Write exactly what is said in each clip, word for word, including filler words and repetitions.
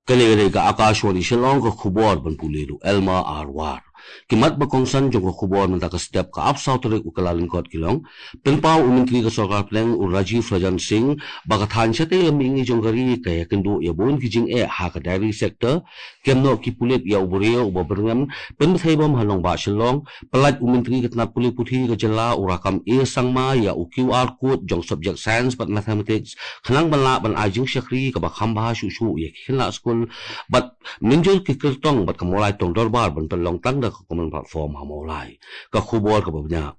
Kane ka dei ka Akashvani Shillong, ka khubor ban pule da u Elma Arwar. Ki mat ba kongsan jong ka khubor mynta ka step, ka arphew saw tarik u Kyllalyngkot ki long: Pynpaw u Myntri ka Sorkar Pdeng u Rajiv Ranjan Singh ba ka thaiñ shatei lam mihngi jong ka ri ka ïakynduh ïa bun ki jingeh ha ka dairy sector. Kem noh ki pulit ïa u briew uba byrngem pynbthei bom ha nongbah Shillong. Pyllait u Myntri ka tnat pule puthi ka jylla u Rakkam A Sangma ïa u Q R code jong subject science bad mathematics khnang ban lah ban ai jingshakri kaba kham bha shuh shuh ïa ki khynnah skul bad mynjur ki kyrtong bad ka Mawlai Tong Dorbar ban pynlong tang da ka common platform ha Mawlai. Ka khubor kaba bniah.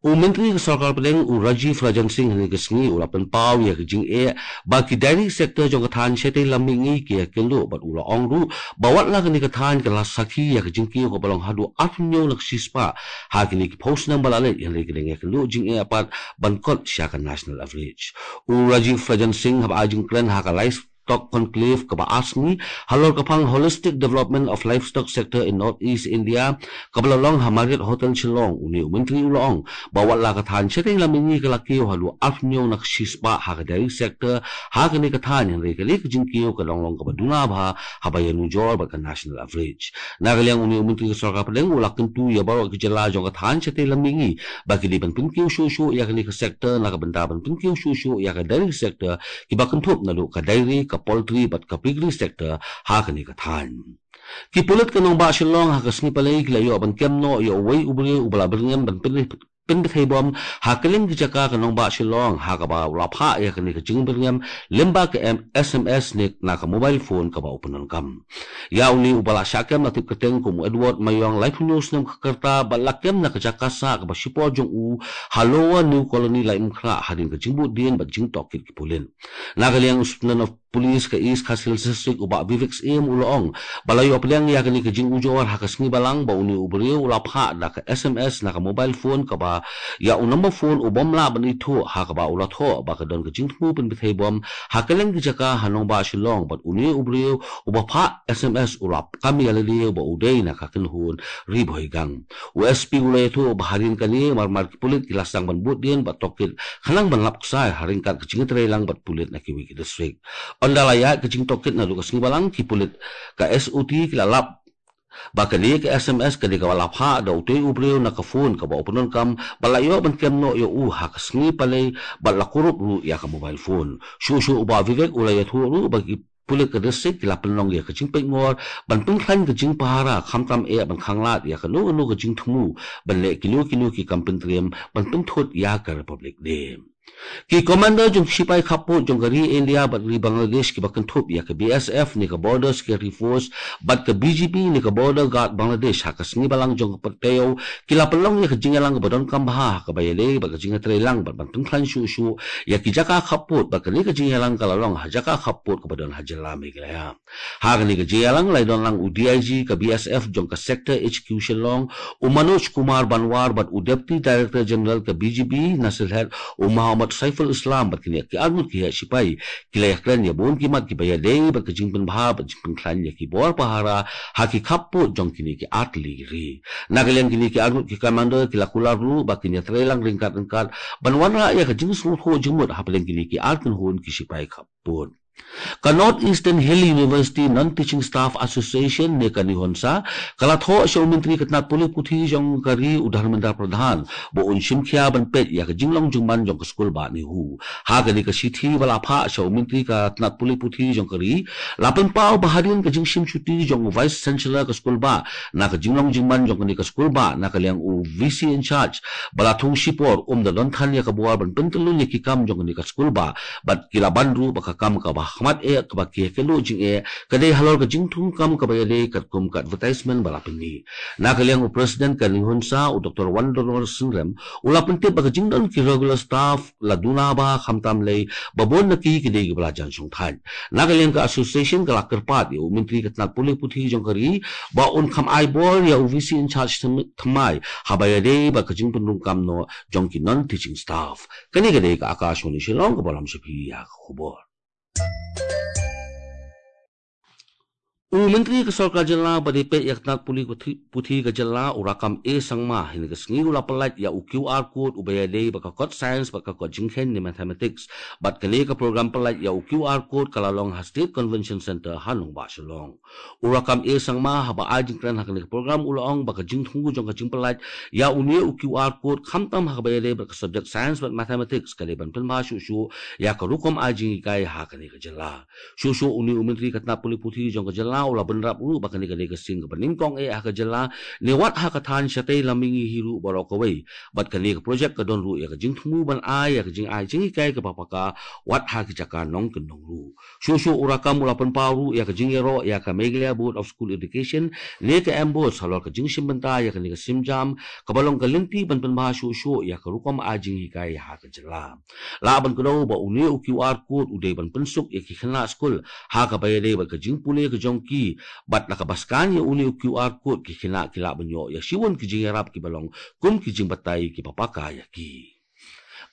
U Myntri ka Sorkar Pdeng u Rajiv Ranjan Singh hynne ka sngi u la pynpaw ïa ka jingeh ba ki dairy sector jong ka thaiñ shatei lam mihngi ki ïakynduh bad u la ong ruh ba wat la kane ka thaiñ ka la sakhi ïa ka jingkiew kaba long haduh arphew hynñiew na ka shispah ha kine ki phew snem ba la leit, hynrei ka dang ïakynduh jingeh pat ban kot sha ka national average. U Rajiv Ranjan Singh haba ai jingkren ha ka Livestock Conclave kaba ar sngi halor ka phang Holistic Development of Livestock Sector in North East India kaba la long ha Marriott Hotel Shillong, une u Myntri u la ong ba wat la ka thaiñ shatei lam mihngi ka la kiew haduh arphew hynñiew na ka shispah ha ka dairy sector ha kane ka thaiñ, hynrei kane ka jingkiew ka dang long kaba duna bha haba ïanujor bad ka national average. Na ka liang une u Myntri ka Sorkar Pdeng u la kyntu ïa baroh ki jylla jong ka thaiñ shatei lam mihngi ba ki dei ban pynkiew shuh shuh ïa kane ka sector na ka bynta ban pynkiew shuh shuh ïa ka dairy sector, kiba kynthup naduh ka dairy, ka poultry bad ka piggery sector ha kane ka thaiñ. Ki pulit ka nongbah Shillong ha ka sngi Palei ki la ïoh ban kem noh ïa uwei u briew uba la byrngem ban pyn- pynbthei bom ha kylleng ki jaka ka nongbah Shillong ha kaba u la phah ïa kane ka jingbyrngem lyngba ka M- S M S ne na ka mobile phone kaba u pyndonkam. Ïa une uba la shah kem la tip kyrteng kum u Edward Mayong, laiphew hynñiew snem ka rta, bad la kem na ka jaka sah kaba shipor jong u ha Lower New Colony, Laitumkhrah, hadien ka jingbuddien bad jingtohkit ki pulit. Na ka liang u Superintendent of Police ka East Khasi Hills District u Bah Vivek Syiem u la ong ba la ïoh pdiang ïa kane ka jingujor ha ka sngi Balang ba une u briew u la phah da ka S M S na ka mobile phone kaba ïa u number phone u bym lah ban ithuh, ha kaba u la thoh ba ka don ka jingthmu pynbthei bom ha kylleng ki jaka ha nongbah Shillong bad une u briew uba phah S M S u la kam ïa lade ba u dei na ka kynhun Ri Bhoi Gang. U S P u la ïathuh ba hadien kane marmar ki pulit ki la sdang ban buddien bad tohkit khnang ban lap ksai ha ryngkat ka jingïatreilang bad pulit na kiwei ki district. Ynda la ïaid ka jingtohkit naduh ka sngi Balang, ki pulit ka S O T ki la lap ba kane ka S M S ka dei kaba la phah da utei u briew na ka phone kaba u pyndonkam bad la ïoh ban kem noh ïa u ha ka sngi Palei bad la kurup ruh ïa ka mobile phone. Shuh shuh u Bah Vivek u la ïathuh ruh ba ki pulit ka district ki la pynlong ïa ka jingpeitngor ban pynkhlaiñ ka jingpahara khamtam eh ban khanglad ïa kano kano ka jingthmu ban leh kino kino ki kam pyntriem ban pynthut ïa ka Republic Day. Ki commander jong ki shipai khappud jong ka ri India bad ri Bangladesh kiba kynthup ïa ka B S F ne ka Border Security Force bad ka B G B ne ka Border Guard Bangladesh ha ka sngi Balang jong ka por taïew ki la pynlong ïa ka jingïalang kaba donkam bha ha kaba ïadei bad ka jingïatreilang bad ban pynkhlaiñ shuh shuh ïa ki jaka khappud bad kane ka jingïalang ka la long ha jaka khappud kaba don ha jylla Meghalaya. Ha kane ka jingïalang la ïadon lang u D I G ka B S F jong ka Sector H Q Shillong, u Manoj Kumar Banwar bad u Deputy Director General ka B G B Nasirhead u Mohammad Saiful Islam bad kine ki arngut ki heh shipai ki la ïakren ïa bun ki mat kiba ïadei bad ka jingpynbha bad jingpynkhlaiñ ïa ki bor pahara ha ki khappud jong kine ki artylli ki ri. Na ka liang kine ki arngut ki commander ki la kular ruh ba kin ïatreilang ryngkat ryngkat ban wanrah ïa ka jingsngewthuh jingmut hapdeng kine ki arkynhun ki shipai khappud. Ka North Eastern Hill University Non-Teaching Staff Association ne ka NEHUNSA ka la thoh sha u Myntri ka tnat pule puthi jong ka ri u Dharmendra Pradhan ba un shim khia ban peit ïa ka jinglong jingman jong ka skul bah NEHU. Ha kane ka shithi ba la phah sha u Myntri ka tnat pule puthi jong ka ri, la pynpaw ba hadien ka jingshim shuti jong u Vice Chancellor ka skul bah na ka jinglong jingman jong kane ka skul bah, na ka liang u V C in charge ba la thung shipor um da don than ïa ka bor ban pyntyllun ïa ki kam jong kane ka skul bah, bad ki la ban ruh ba ka kam kaba khmat eh kaba ki ïakynduh jingeh ka dei halor ka jingthung kam kaba ïadei katkum ka advertisement ba la pynmih. Na ka liang u President ka NEHUNSA u Doctor Wandonor Synrem u la pyntip ba ka jingdon ki regular staff la duna bha khamtam lei ba bun na ki ki dei kiba la jan shongthait. Na ka liang ka association ka la kyrpad ïa u Myntri ka tnat pule puthi jong ka ri ba un kham ai bor ïa u V C in charge thymmai haba ïadei bad ka jingpynrung kam noh jong ki non-teaching staff. Kane ka dei ka Akashvani Shillong kaba lam sha phi ïa ka khubor. U Myntri ka Sorkar Jylla ba dei peit ïa ka tnat pule puthi, puthi ka jylla, u Rakkam A Sangma, hynne ka sngi u la pyllait ïa u QR code uba ïadei bad ka kot science bad ka kot jingkheiñ ne mathematics. Bad kane ka program pyllait ïa u QR code ka la long ha State Convention Centre ha nongbah Shillong. U Rakkam A Sangma haba ai jingkren ha kane ka program u la ong ba ka jingthmu jong ka jingpyllait ïa une u QR code khamtam ha kaba ïadei bad ka subject science bad mathematics ka dei ban pynbha shuh shuh ïa ka rukom ai jinghikai ha kane ka jylla. Shuh shuh une u Myntri ka tnat pule puthi jong ka jylla u la bynrap ruh ba kane ka dei ka sien kaba nyngkong eh ha ka jylla, ne wat ha ka thaiñ shatei la mihngi hi ruh baroh kawei. Bad kane ka project ka don ruh ïa ka jingthmu ban ai ïa ka jingai jinghikai kaba paka wat ha ki jaka nongkyndong ruh. Shuh shuh u Rakkam u la pynpaw ruh ïa ka jingïaroh ïa ka Meghalaya Board of School Education ne ka MBOSE halor ka jingshim bynta ïa kane ka sienjam kaba long ka lynti ban pynbha shuh shuh ïa ka rukom ai jinghikai ha ka jylla. Lah ban kdew ba une u QR code u dei ban pynsuk ïa ki khynnah skul ha kaba ïadei bad ka jingpule ka jong ki, bad na kaba scan ïa une u QR code ki khynnah ki lah ban ïoh ïa shibun ki jingïarap kiba long kum ki jingbatai kiba paka ïa ki.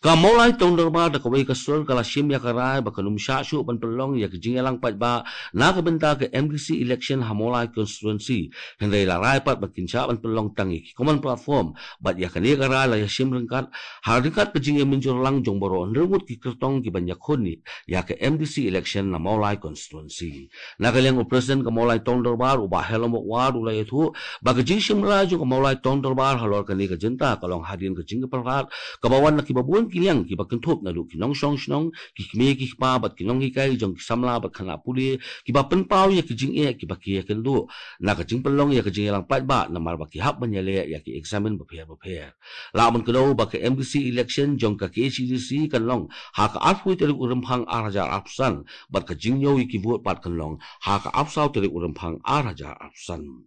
Ka Mawlai Town Dorbar da kawei ka sur ka la shim ïa ka rai ba kan ym shah shuh ban pynlong ïa ka jingïalang paidbah na ka bynta ka MDC election ha Mawlai constituency. Hynrei la rai pat ba kin shah ban pynlong tang ïa ki common platform, bad ïa kane ka rai la ïashim ryngkat ha ryngkat ka jingïamynjur lang jong baroh hynriew ngut ki kyrtong kiban ïakhun ïa ka MDC election na Mawlai constituency. Na ka liang u President ka Mawlai Town Dorbar u Bah Helen Mawkyrwat u la ïathuh ba ka jingshim rai jong ka Mawlai Town Dorbar halor kane ka jinta ka long hadien ka jingïapyrkhat kaba wan na kiba bun ki liang kiba kynthup naduh ki nongshong shnong, ki kmie ki kpa bad ki nonghikai jong ki samla bad khynnah pule kiba pynpaw ïa ki jingeh kiba ki ïakynduh na ka jingpynlong ïa ka jingïalang paidbah namar ba ki hap ban ïaleh ïa ki eksamin bapher bapher. Lah ban kdew ba ka MDC election jong ka KHADC kan long ha ka arphew tarik u Rymphang ar hajar arphew san, bad ka jingñiew ïa ki vote pat kan long ha ka arphew saw tarik u Rymphang ar hajar arphew san.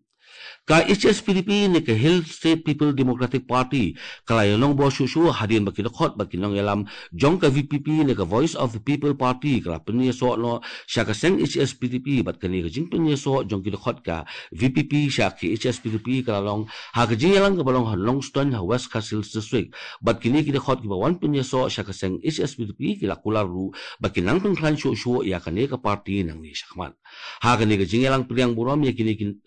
Ka HSPDP ne ka Hill State People Democratic Party ka la ïanongbor shuh shuh hadien ba ki dkhot bad ki nongïalam jong ka VPP ne ka Voice of the People Party ka la pynïasoh noh sha ka seng HSPDP, bad kane ka jingpynïasoh jong ki dkhot ka VPP sha ka HSPDP ka la long ha ka jingïalang kaba long ha Nongstoiñ ha West Khasi Hills District. Bad kine ki dkhot kiba wan pynïasoh sha ka seng HSPDP ki la kular ruh ba kin nang pynkhlaiñ shuh shuh ïa kane ka party nangne shakhmat. Ha kane ka jingïalang pdiang burom ïa kine ki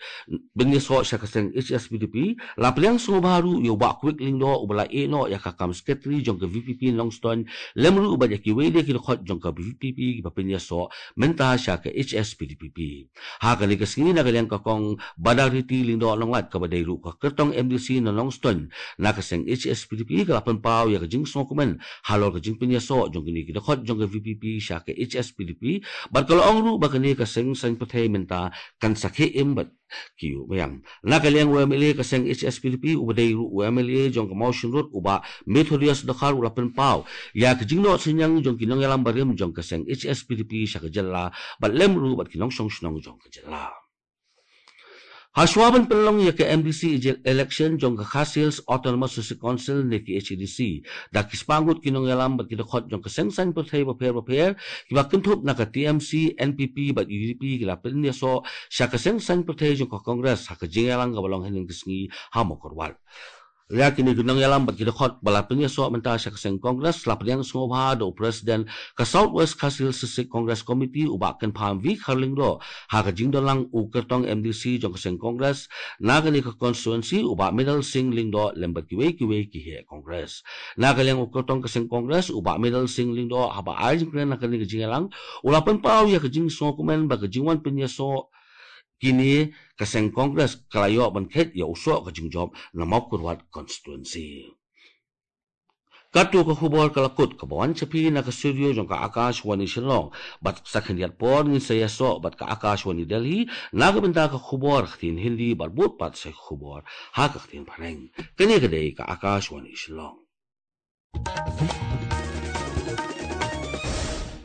pynïasoh sha ka seng HSPDP, la pdiang sngewbha ruh ïa u Bah Kwik Lyngdoh uba la ïehnoh ïa ka kam Secretary jong ka VPP Nongstoiñ, lem ruh bad ïa kiwei de ki dkhot jong ka VPP kiba pynïasoh mynta sha ka HSPDP. Ha kane ka sngi na ka liang ka Kong Badariti Lyngdoh Nonglait kaba dei ruh ka kyrtong MDC na Nongstoiñ na ka seng HSPDP ka la pynpaw ïa ka jingsngewkmen halor ka jingpynïasoh jong kine ki dkhot jong ka VPP sha ka HSPDP, bad ka la ong ruh ba kane ka seng saiñ pyrthei mynta kan sa khie im bad ki ïuh biang. Na ka liang u MLA ka seng HSPDP uba dei ruh u MLA jong ka Mawshynrut u Bah Methodius Dkhar u la pynpaw ïa ka jingnoh synñiang jong ki nongïalam barim jong ka seng HSPDP sha ka jylla, bad lem ruh bad ki nongshong shnong jong ka jylla. Hashwa ban pynlong ïa ka MDC election jong ka Khasi Hills Autonomous District Council ne ka KHADC, da ki spah ngut ki nongïalam bad ki dkhot jong ka seng saiñ pyrthei bapher bapher kiba kynthup na ka TMC, NPP bad UDP ki la pynïasoh sha ka seng saiñ pyrthei jong ka Congress ha ka jingïalang kaba long hynnin ka sngi ha Mawkyrwat. Ïa kine ki nongïalam bad ki dkhot ba la pynïasoh mynta sha ka seng Congress la pdiang sngewbha da u President ka South West Khasi Hills District Congress Committee u Bah Kynpham V Kharlyngdoh, ha ka jingdon lang u kyrtong MDC jong ka seng Congress na kane ka constituency u Bah Medal Singh Lyngdoh lem bad kiwei kiwei ki heh Congress. Na ka liang u kyrtong ka seng Congress u Bah Medal Singh Lyngdoh haba ai jingkren ha kane ka jingïalang u la pynpaw ïa ka jingsngewkmen ba ka jingwan pynïasoh kine ka seng Congress ka la ïoh ban khet ïa u soh ka jingjop na Mawkyrwat constituency. Katto ka khubor ka la kut kaba wan sha phi na ka studio jong ka Akashvani Shillong, bad sa khyndiat por ngin sa ïasoh bad ka Akashvani Delhi na ka bynta ka khubor ha ka ktien Hindi bad bud pat sa ka khubor ha ka ktien Phareng. Kane ka dei ka Akashvani Shillong.